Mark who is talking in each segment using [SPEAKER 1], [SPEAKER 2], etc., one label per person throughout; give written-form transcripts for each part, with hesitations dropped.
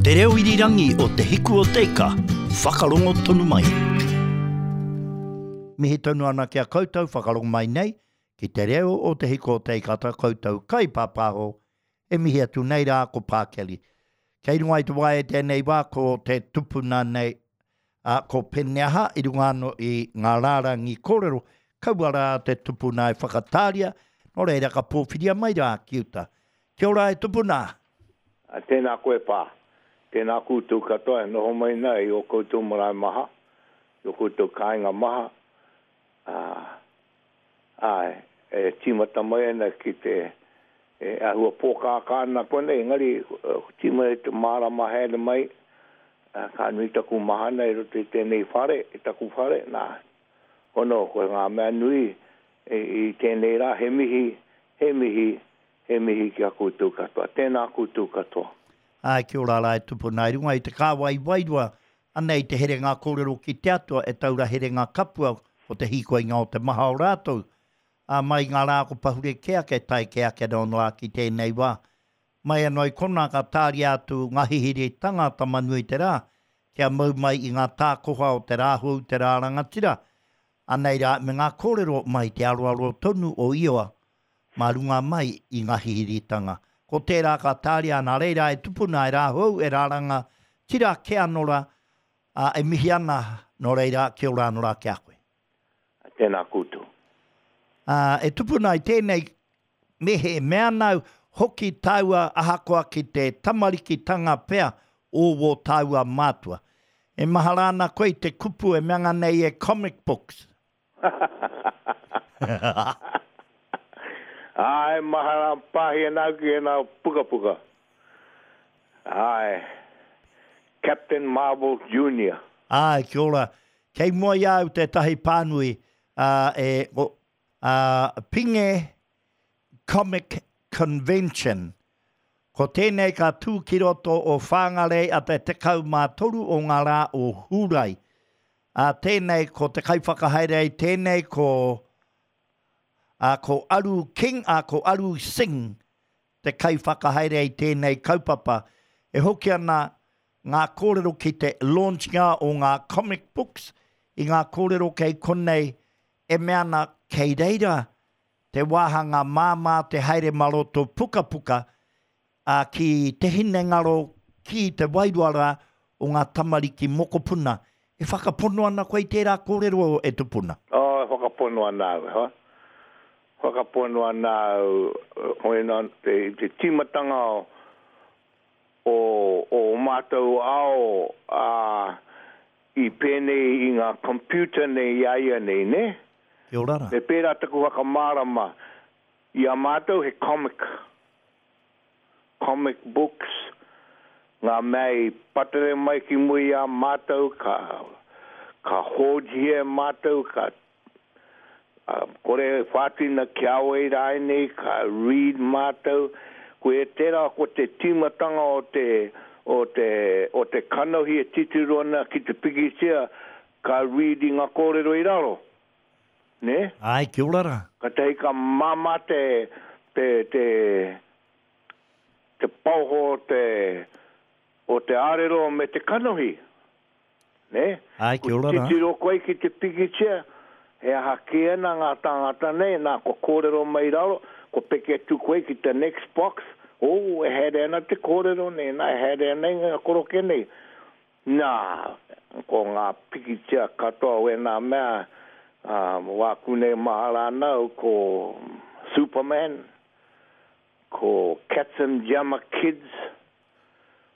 [SPEAKER 1] Te reo irirangi o Te Hiku o Te Ika, whakarongo tonu mai. Mihi tonu ana ki a koutou whakarongo mai nei ki te reo o Te Hiku o Te Ika ta koutou kaipāpāho e mihi atu nei rā ko Pā Kelly. Kei runga i te waea i tēnei wā ko te tupuna nei ā, ko Peneaha i runga anō i ngā rārangi kōrero, kaua rā te tupuna e whakatāria, nō reira ka pōwhiria mai rā ki uta. Kia ora e tupuna!
[SPEAKER 2] Tēnā koe Pā. Tēnā koutou katoa e noho mai na i ō koutou marae maha, i ō koutou kāinga maha, ā, Āe, e tīmata mai ana ki te, e āhua pōkākā ana konei, engari tīmata i te mārama haere mai, ka nui taku mahana i roto i tēnei whare, i taku whare, nā, hono, ko ngā mea nui i tēnei rā, he mihi, he mihi, he mihi ki a koutou katoa. Tēnā koutou katoa.
[SPEAKER 1] Āe, kia ora rā e tupuna i runga i te kāwai wairua Anei te herenga kōrero ki te Atua e taura herenga kapua ko te hīkoinga o te maha o rātou, ā, mai i ngā rā ko pahure kē ake, tae kē ake anō rā ki tēnei wā. Mai anō i konā ka tāria atu ngā hihiritanga Tama-nui-te-rā kia mau mai i ngā tākoha o te rā hou, te rā rangatira. Anei rā me ngā kōrero mai te aroaro tonu o Ioa mā runga mai i ngā hihiritanga. Ko tērā ka tāria nā reira e tupuna e rāhou e rāranga tira kē anō rā, ā, e mihi ana, nō reira, kia ora anō rā ki a koe.
[SPEAKER 2] Tēnā koutou.
[SPEAKER 1] Ā, e tupuna i tēnei, me he mea nāu hoki tāua ahakoa ki te tamarikitanga pea o wō tāua mātua. E mahara ana koe i te kupu e meanga nei e comic books.
[SPEAKER 2] Āe, mahara pāhi ana au ki ēnā pukapuka. Āe, Captain Marvel Junior.
[SPEAKER 1] Āe, kia ora. Kei mua i a au tētahi pānui, ā, e, ko, ā, Pinge Comic Convention. Ko tēnei ka tū ki roto o Whāngarei a te 13 o ngā rā o Hūrae. Ā, tēnei ko te kaiwhakahaere i tēnei ko, ā, ko Aru King, ā, ko Aru Singh te kaiwhakahaere i tēnei kaupapa. E hoki ana ngā kōrero ki te launch-nga o ngā comic books, i ngā kōrero kei konei e mea ana kei reira te wāhanga māmā te haere mā roto pukapuka, ā, ki te hinengaro, ki te wairua rā o ngā tamariki mokopuna. E whakapono ana koe i tērā kōrero e tupuna?
[SPEAKER 2] Oh, e whakapono ana au, e hoa. Whakapono ana au, koina te, te tīmatanga o, o, o mātou ao, ā, i pēnei i ngā computer nei i a ia nei, nē?
[SPEAKER 1] Kia ora rā.
[SPEAKER 2] Me pērā taku whakamārama, i a mātou he comic. comic books, ngā mea i patere mai ki mua i a mātou, ka, ka hōjia e mātou, ka, kore e whātina ki a wai rānei, ka read mātou. Koia tērā ko te tīmatanga o te, o te, o te kanohi e titiro ana ki te pikitia, ka read i ngā kōrero i raro. Nē?
[SPEAKER 1] Āe, kia ora rā.
[SPEAKER 2] Katahi ka māmā te, te, te, te paoho o te, o te ārero me te kanohi. Nē?
[SPEAKER 1] Āe, kia ora
[SPEAKER 2] rā. Ko titiro koe ki te pikitia, he aha kē ana ngā tāngata nei, nā, kua kōrero mai i raro, kua peke atu koe ki te next box, oh, e haere ana te kōrero nei, nā, e haere ana i ngā koroke nei. Nā, ko ngā pikitia katoa o ēnā mea, ā, wāku nei mahara ana au ko Superman, ko Katzenjammer Kids,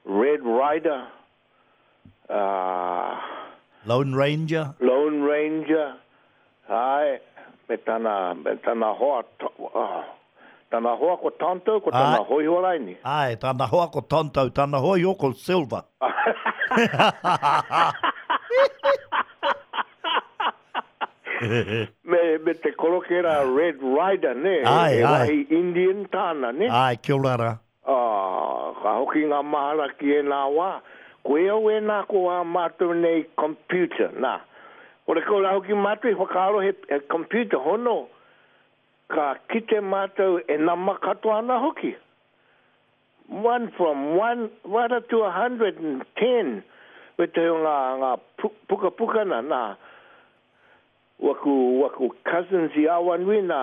[SPEAKER 2] Red Ryder, ā.
[SPEAKER 1] Lone Ranger.
[SPEAKER 2] Lone Ranger, āe, me tana, me tana hoa, tana hoa ko Tonto, ko tana hōiho raini.
[SPEAKER 1] Āe, tana hoa ko Tonto, tana hōiho ko Silver.
[SPEAKER 2] Me, me te koroke rā Red Ryder, nē?
[SPEAKER 1] Āe, āe.
[SPEAKER 2] He wahi Indian tāna, nē?
[SPEAKER 1] Āe, kia ora rā.
[SPEAKER 2] Ā, ka hoki ngā mahara ki ēnā wā, koe au ēnā ko ā mātou nei computer, nā. Horekau rā hoki mātou i whakaaro he, he computer hono, ka kite mātou e nama katoa ana hoki. One from one right up to 110 wētahi o ngā, ngā pukapuka nā, nā, waku, waku cousins i Awanui nā,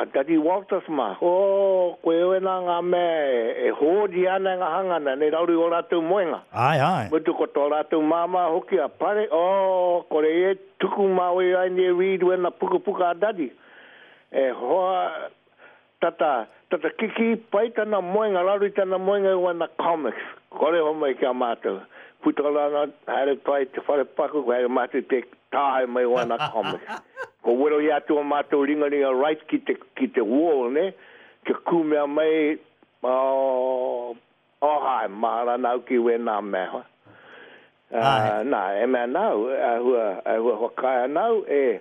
[SPEAKER 2] a Daddy Walters mā, oh, koe wēnā ngā mea e, e hōria ana e ngā hangana, nei rauru i ō rātou moenga.
[SPEAKER 1] Āe, āe.
[SPEAKER 2] Mutu ko tō rātou māmā hoki a Pare, oh, kore e tuku mā wei ai nei read wēnā pukapuka a Daddy. E hoa, Tata, tata kikī pai tana moenga, raro i tana moenga i wana comics. Kore homai ki a mātou. Puta rana, haere pai te whare paku, haere mātou te tāhae mai wana comics. Ko wero i atu o mātou ringaringa right ki te, ki te wall, ne? Kia kūmea mai, oh, oh hai, mahara nāu ki wēnā mea, hoa. Uh, nā, e mea nāu, āhua, āhua whakaae ana au, e,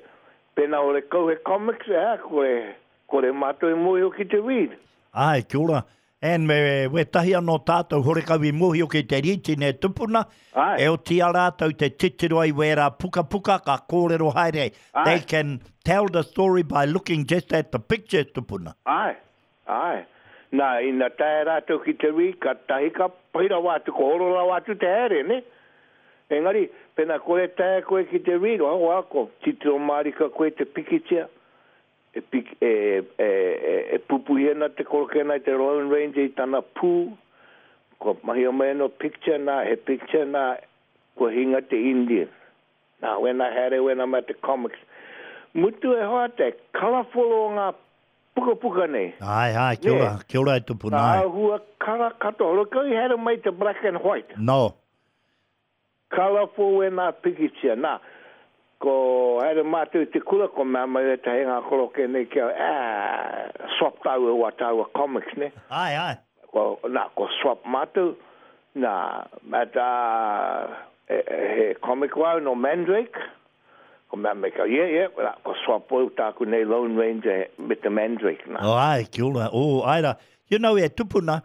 [SPEAKER 2] pēnā ore kau he comics, e, kore, Kore mātou e mōhio ki te read.
[SPEAKER 1] Āe, kia ora. And me wētahi anō tātou horekau i mōhio ki te rītine tupuna,
[SPEAKER 2] Āe.
[SPEAKER 1] e oti a rātou te titiro ai wērā pukapuka ka kōrero haere ai.
[SPEAKER 2] Āe.
[SPEAKER 1] They can tell the story by looking just at the pictures tupuna.
[SPEAKER 2] Āe, āe. Nā, ina taea rātou ki te read, kātahi ka pai rawa atu, ka horo rawa atu te haere, nē? Engari, pēnā kore taea koe ki te read, oh, well, ko titiro mārika koe te pikitia, E piki, e, e, e pupuhi ana te korokena i te Lone Ranger i tana pū, kua mahia mai anō picture nā, he picture nā, kua hinga te Indian. Nā, wēnā haere wēnā mea te comics. Mutu e hoa te colourful o ngā pukapuka nei.
[SPEAKER 1] Āe, āe, kia ora, kia ora e tupuna, āe.
[SPEAKER 2] Ngā āhua kara katoa, look, i haere mai te black and white.
[SPEAKER 1] No.
[SPEAKER 2] Colourful wēnā pikitia. Nā, ko haere mātou i te kura, ko mea mai wētahi ngā koroke nei kia, ā, swap tāua wā tāua comics, nē?
[SPEAKER 1] Āe, āe.
[SPEAKER 2] Ko, nā, ko swap mātou, nā, at, ā, he comic wau nō Mandrake, ko mea mai kia, yeah, yeah, nā, ko swap au tāku nei Lone Ranger me te Mandrake, nā.
[SPEAKER 1] Oh, āe, kia ora. Oh, āe rā. You know, e tupuna,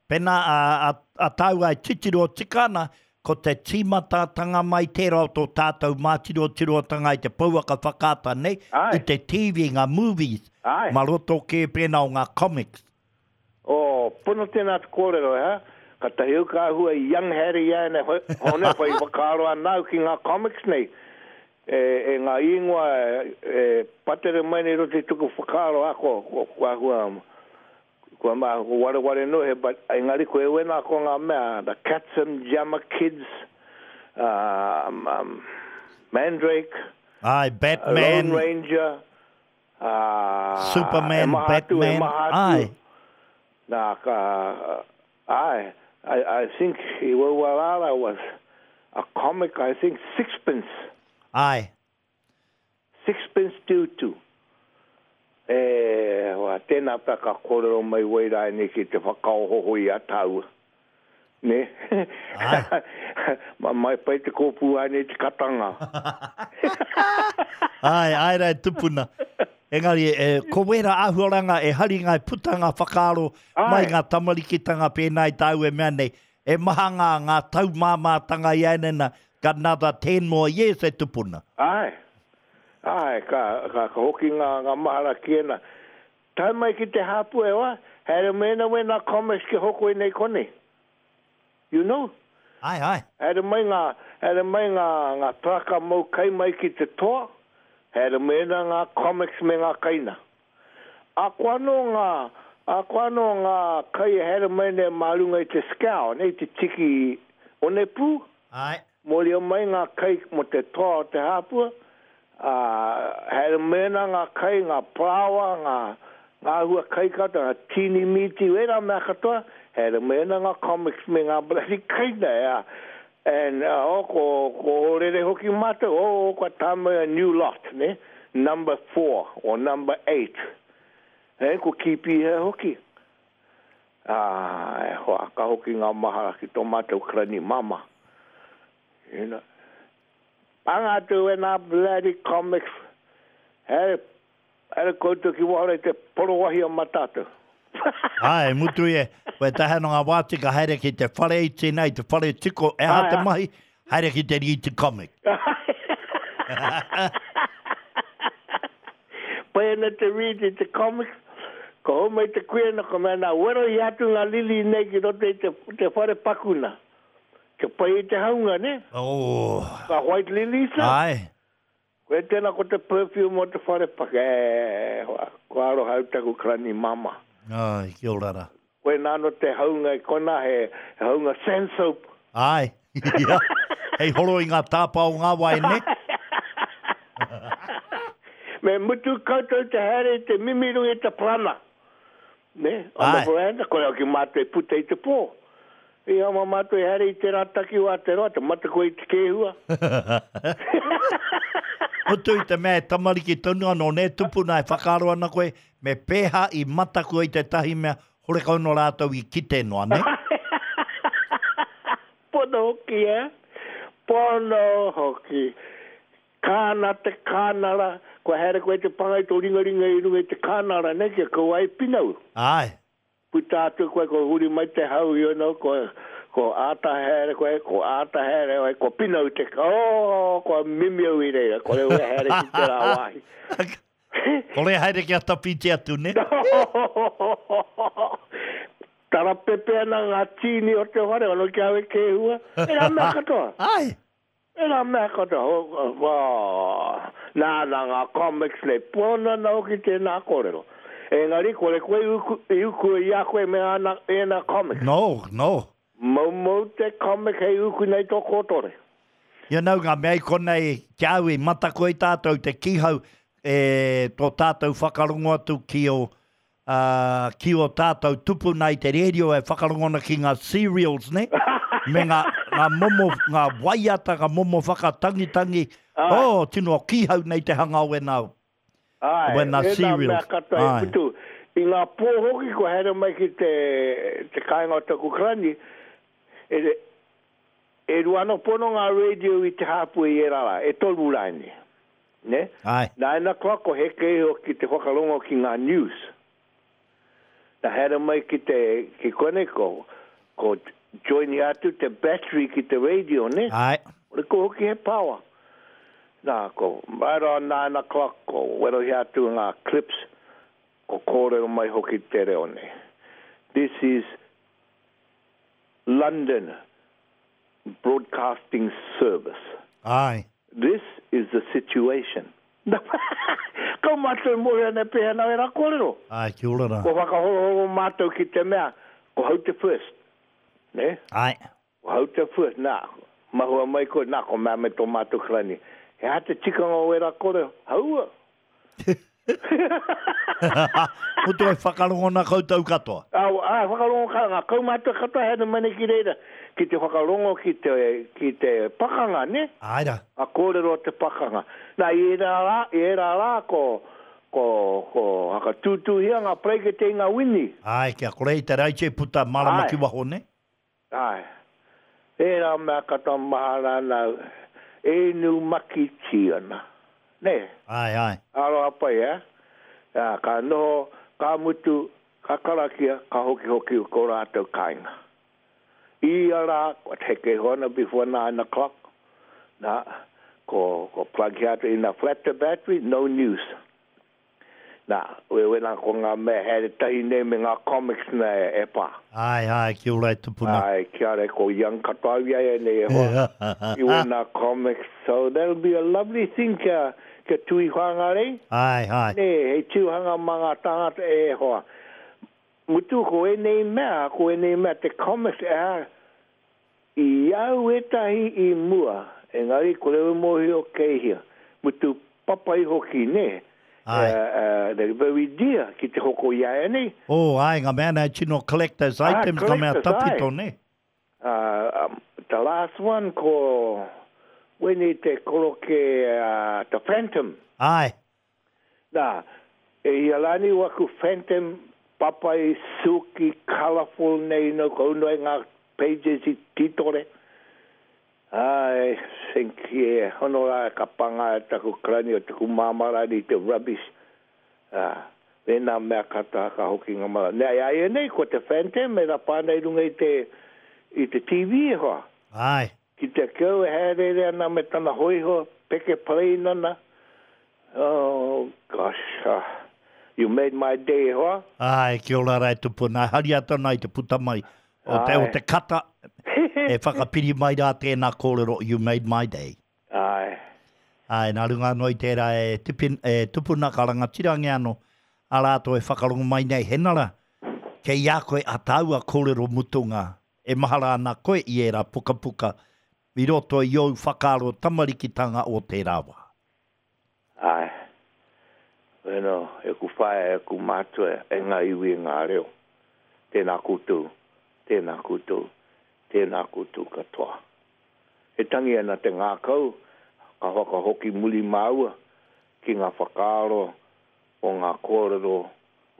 [SPEAKER 1] Pēnā a, a, a tāua e titiro tika ana, ko te tīmatatanga mai tērā o tō tātou mātirotirotanga i te pouaka whakaata nei,
[SPEAKER 2] Āe.
[SPEAKER 1] i te TV, ngā movies,
[SPEAKER 2] Āe.
[SPEAKER 1] ma roto kē pēnā o ngā comics.
[SPEAKER 2] Oh, pono tēnā te kōrero, ha? Katahi au ka āhua i young Harry i a nei, hoi, hone, whai whakaaro ana au ki ngā comics nei. E, e ngā ingoa e, e patere mai nei roto i tuku whakaaro, a, ko, ko, ko āhua, Kua ma, ko wareware no he, but engari ko e wena ko nga mea, the Katsum Jammer Kids, um, um, Mandrake,
[SPEAKER 1] Aye, Batman,
[SPEAKER 2] Lone Ranger, uh,
[SPEAKER 1] Superman,
[SPEAKER 2] e maha atu, e
[SPEAKER 1] Batman,
[SPEAKER 2] maha atu.
[SPEAKER 1] aye.
[SPEAKER 2] Na, ka, aye, I, I think i Wauarara was a comic, I think sixpence.
[SPEAKER 1] Aye.
[SPEAKER 2] Sixpence due to. E hoa, tēnā pea ka kōrero mai wai rānei ki te whakaohoho i a tāua. Nē?
[SPEAKER 1] Āe.
[SPEAKER 2] Ma mai pai te kōpū ānei te katanga.
[SPEAKER 1] Āe, āe rā e tupuna. Engari, e, ko wērā āhuaranga e hari ngā putanga whakaaro mai
[SPEAKER 2] Āe.
[SPEAKER 1] ngā tamarikitanga pēnā i tāu e mea nei, e maha ngā, ngā taumāmātanga i ānena, got another ten more years e tupuna.
[SPEAKER 2] Āe. Āe, ka, ka, ka hoki ngā, ngā mahara ki ēnā. Tae mai ki te hāpua e hoa, haere mai ana wēnā comics ki hoko i nei konei. You know?
[SPEAKER 1] Āe, āe.
[SPEAKER 2] Haere mai ngā, haere mai ngā, ngā taraka mau kai mai ki te toa, haere mai ana ngā comics me ngā kaina. Ako anō ngā, ako anō ngā kai e haere mai nei mā runga i te scow, nei te tiki onepū.
[SPEAKER 1] Āe.
[SPEAKER 2] Mōria mai ngā kai mō te toa o te hāpua, ā, haere mai ana ngā kai, ngā parāoa, ngā, ngā hua kai katoa, ngā tīni mīti, wērā mea katoa, haere mai ana ngā comics me ngā bloody kai nei, ā, and, oh, ko, ko ohorere hoki mātou, oh, kua tae mai a new lot, nē, number four or number eight, ē, ko Kīpīhea hoki. Ā, e hoa, ka hoki ngā mahara ki tō mātou karani māmā. You know. Panga atu wēnā bloody comics, haere, haere koutou ki waho rei te porowahi o Matātou.
[SPEAKER 1] Āe, mutu ia, koe tae ana ngā wā tika haere ki te whare iti nei, te whare tiko, e aha te mahi, haere ki te rīti comic.
[SPEAKER 2] Pai ana te read i te comics. Ka hou mai te kuia na ka mea, na, werohia atu nga lili nei ki roto i te, te whare paku na. Kia pai ai te haunga, ne?
[SPEAKER 1] Oh.
[SPEAKER 2] Ka white lilies na.
[SPEAKER 1] Ae.
[SPEAKER 2] Koe tena ko te perfume o te whare paku. E, hoa, ko aroha au taku karani mama.
[SPEAKER 1] Ai, kia ora ra.
[SPEAKER 2] Koina ano te haunga i kona, he, he haunga sand soap.
[SPEAKER 1] Ae. Ia. Hei horo i nga tapa o nga wai, ne?
[SPEAKER 2] Me mutu koutou te haere i te mimi runga i te parana. Ne? On the veranda, kore hoki mātou e puta i te pō. I ama mātou e haere i tērā takiwā te roa, te mataku i te kēhua.
[SPEAKER 1] Mutu i te mea e tamariki tonu anō, nē, tupuna e whakaaro ana koe, me pēhā i mataku ai tētahi mea, horekau nō rātou i kite noa, nē?
[SPEAKER 2] Pono hoki, eh? Pono hoki. Kāna te kānara, kua haere koe te panga i tō ringaringa i runga i te kānara nei kia kaua ai pinau.
[SPEAKER 1] Āe.
[SPEAKER 2] Puta atu koe, kua huri mai te hau, you know, kua, kua āta haere koe, kua āta haere koe, kua pinau te, oh, kua mimi au i reira, kore au e haere ki tērā wāhi.
[SPEAKER 1] Kore haere kia tawhiti atu, ne?
[SPEAKER 2] Tarapepe ana ngā tīni o te whare, ono ki au e kēhua, ērā mea katoa.
[SPEAKER 1] Āe.
[SPEAKER 2] Ērā mea katoa, nā, nā ngā comics nei, pono ana hoki tēnā kōrero. Engari, kore koe i uku, i uku i a koe me āna, ēnā comics.
[SPEAKER 1] No, no.
[SPEAKER 2] Moumou te comic hei uku nei tō kōtore.
[SPEAKER 1] You know, ngā mea i konei, ki a au i mataku ai tātou te kīhau e tō tātou whakarongo atu ki ō, ā, ki ō tātou tupuna i te rērio e whakarongo ana ki ngā serials, nē? Me ngā, ngā momo, ngā waiata, ngā momo whakatangitangi.
[SPEAKER 2] Āe.
[SPEAKER 1] Oh, tino kīhau nei te hanga o wēnā,
[SPEAKER 2] Āe,
[SPEAKER 1] wēnā
[SPEAKER 2] ēnā mea
[SPEAKER 1] serials.
[SPEAKER 2] katoa e
[SPEAKER 1] Āe.
[SPEAKER 2] putu. I ngā pō hoki kua haere mai ki te, te kāinga o taku karani, e, e rua anō pono ngā radio i te hāpua i ērā rā, e toru rānei. Nē?
[SPEAKER 1] Āe.
[SPEAKER 2] 9 o'clock ko heke iho ki te whakarongo ki ngā news. Na haere mai ki te, ki konei ko, ko join atu te battery ki te radio, nē?
[SPEAKER 1] Āe.
[SPEAKER 2] Kore ko hoki he power. Nā, ko right on 9 o'clock ko werohia atu ngā clips, ko kōrero mai hoki te reo nei. This is London Broadcasting Service.
[SPEAKER 1] Āe.
[SPEAKER 2] This is the situation. Kau mātou e mōhio ana e pēhea ana ērā kōrero.
[SPEAKER 1] Āe, kia ora rā.
[SPEAKER 2] Kua whakahorohoro mātou ki te mea, ko hau te first. Nē?
[SPEAKER 1] Āe.
[SPEAKER 2] Ko hau te first, nā, mahua mai koe, nā, ko mea me tō mātou karani. He aha te tikanga o ērā kōrero? Haua!
[SPEAKER 1] Mutu e whakarongo ana koutou katoa.
[SPEAKER 2] Ā, ā, whakarongo ka, ngā kaumātua katoa haere mai nei ki reira, ki te whakarongo ki te, ki te pakanga, nē?
[SPEAKER 1] Āe rā.
[SPEAKER 2] Ngā kōrero o te pakanga. Nā, i ērā rā, i ērā rā ko, ko, ko whakatūtūhia ngā paraikete i ngā wini.
[SPEAKER 1] Āe, kia kore i te raiti e puta marama ki waho, nē?
[SPEAKER 2] Āe. Ērā mea katoa mahara ana au, e inu makitī ana. Nē?
[SPEAKER 1] Āe, āe.
[SPEAKER 2] Aroha pai, ē? Ā, ka noho, ka mutu, ka karakia, ka hokihoki ko rātou kāinga. I ia rā, kua heke iho ana before 9 o'clock, nā, ko, ko plug atu ina flat the battery, no news. Nā, wewena ko ngā mea haere tahi nei me ngā comics na e pā.
[SPEAKER 1] Āe, āe, kia ora e tupuna.
[SPEAKER 2] Āe, kia ora, ko Young katoa au i a ia nei e hoa. I wēnā comics, so that'll be a lovely thing kia, kia tui Whangarei.
[SPEAKER 1] Āe, āe.
[SPEAKER 2] Nē, hei tirohanga mā ngā tāngata e hoa. Mutu ko ēnei mea, ko ēnei mea te comics, ā, I au ētahi i mua, engari kore au e mōhio kei hea. Mutu papai hoki, nē?
[SPEAKER 1] Āe.
[SPEAKER 2] They're very dear ki te hoko i a ēnei.
[SPEAKER 1] Oh, āe, ngā mea nei tino collector's items, ngā mea
[SPEAKER 2] collector's, āe.
[SPEAKER 1] tawhito, nē?
[SPEAKER 2] The last one ko wēnei te koroke the Phantom.
[SPEAKER 1] Āe.
[SPEAKER 2] Nā, e hia rānei waku phantom papai silky colourful nei no ka unu ai ngā pages i tītore. I think yeah, hono rā ka panga e taku karani o taku māmā rānei i te rubbish. Ā, mēnā mea katoa ka hoki ngā mara. Nē, āianei ko te phantom e rapa ana i runga i te, i te TV e hoa.
[SPEAKER 1] Āe.
[SPEAKER 2] Ki te keu e haereere ana me tana hoiho peke parein ana, oh gosh, ah. You made my day e hoa.
[SPEAKER 1] Āe, kia ora rā e tupuna. Hari atu ana i te puta mai o te, o te kata e whakapiri mai rā tēnā kōrero, you made my day.
[SPEAKER 2] Āe.
[SPEAKER 1] Āe, nā runga anō i tērā e, tipin, e tupuna ka rangatirangia anō a rātou e whakarongo mai nei, Henara, kei a koe a tāua kōrero mutunga, e mahara ana koe i ērā pukapuka i roto i ōu whakaaro tamarikitanga o tērā wā.
[SPEAKER 2] Āe. Bueno, e ku whaea, e ku mātua, e ngā iwi, e ngā reo. Tēnā koutou, tēnā koutou, tēnā koutou katoa. E tangi ana te ngākau, ka whakahoki muri māua ki ngā whakaaro o ngā kōrero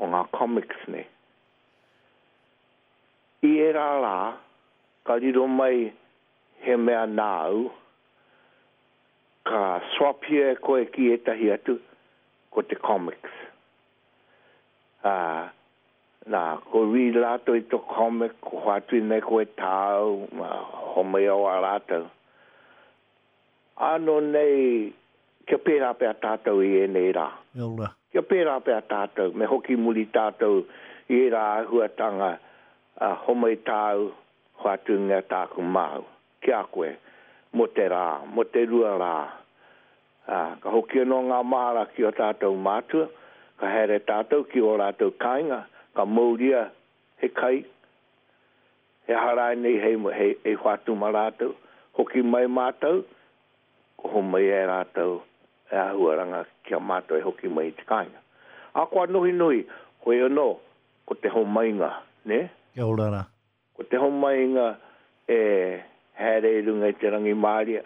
[SPEAKER 2] o ngā comics nei. I ērā rā, ka riro mai he mea nāu, Ka swap-hia e koe ki ētahi atu, ko te comics. Ā, nā, ko read rātou i tō comic, ko hoatu nei koe tāu, ā, homai au a rātou. Ānō nei, kia pērā pea tātou i ēnei rā.
[SPEAKER 1] Kia ora.
[SPEAKER 2] Kia pērā pea tātou, me hoki muri tātou i ērā āhuatanga, ā, homai tāu, hoatungia tāku māu. ki a koe, mō te rā, mō te rua rā. Ā, ka hoki anō ngā māra ki ō tātou mātua, ka haere tātou ki ō rātou kāinga, ka mauria he kai, he aha rānei hei, hei, hei whātu mā rātou, hoki mai mātou, ko homai e rātou e āhuaranga ki a mātou e hoki mai i te kāinga. Ahakoa nohinohi, hoi anō, ko te homainga, nē?
[SPEAKER 1] Kia ora rā.
[SPEAKER 2] Ko te homainga e haere i runga i te rangimārie,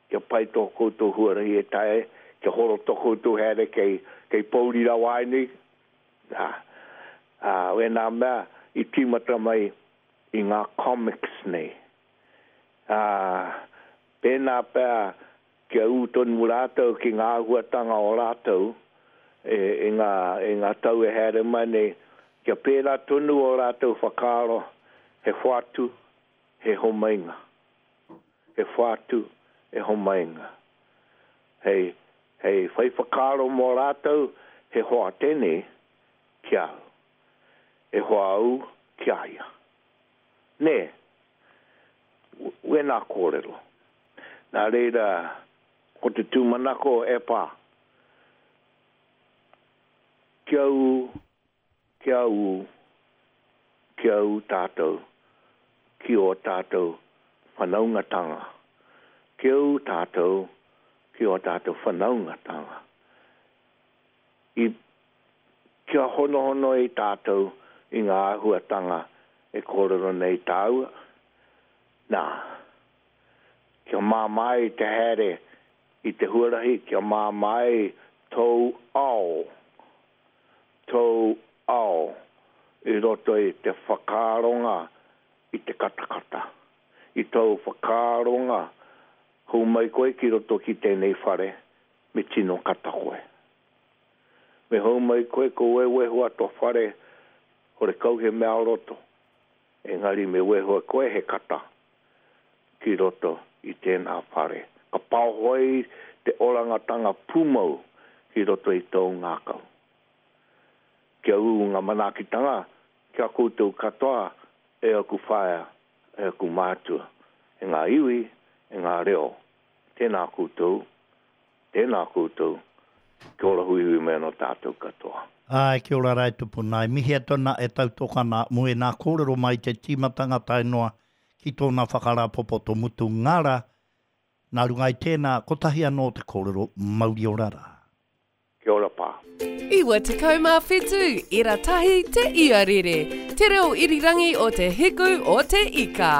[SPEAKER 2] kia pai tō koutou huarahi e taea ai, kia horo tō koutou haere kei, kei pōuri rawa ai nei. Ā, ā, wēnā mea i tīmata mai i ngā comics nei. Ā, pēnā pea kia ū tonu rātou ki ngā āhuatanga o rātou i ngā, i ngā tau e haere mai nei, kia pērā tonu ō rātou whakaaro, he whātu, he homainga. He whātu, he homainga. Hei, hei whai whakaaro mō rātou, he hoa tēnei ki a au. E hoa au ki a ia. Nē? Wēnā kōrero. Nā reira, ko te tūmanako e pā. Kia ū, kia ū, kia ū tātou ki ō tātou whanaungatanga. Kia ū tātou ki ō tātou whanaungatanga. I, kia honohono ai tātou i ngā āhuatanga e kōrero nei tāua, nā, kia māmā ai te haere i te huarahi, kia māmā ai tōu ao, tōu ao i roto i te whakaaronga i te katakata, i tōu whakaaronga hou mai koe ki roto ki tēnei whare me tino kata koe. Me hou mai koe ko wewehua to whare horekau he mea o roto, engari me wehua koe he kata ki roto i tēnā whare. Ka paoho ai te orangatanga pūmau ki roto i tōu ngākau. Kia ū ngā manaakitanga ki a koutou katoa e aku whaea, e aku mātua, e ngā iwi, e ngā reo. Tēnā koutou, tēnā koutou, kia ora huihui mai anō tātou katoa.
[SPEAKER 1] Āe, kia ora rae tupuna. E mihi atu ana, e tautoko ana mō ēnā kōrero mai i te tīmatanga tae noa ki tōna whakarāpopoto mutu ngara, nā runga i tēnā, kotahi anō te kōrero, mauri ora rā.
[SPEAKER 2] Kia ora pā.
[SPEAKER 3] 97 ira tahi te iarere, te reo irirangi o te hiku o te ika.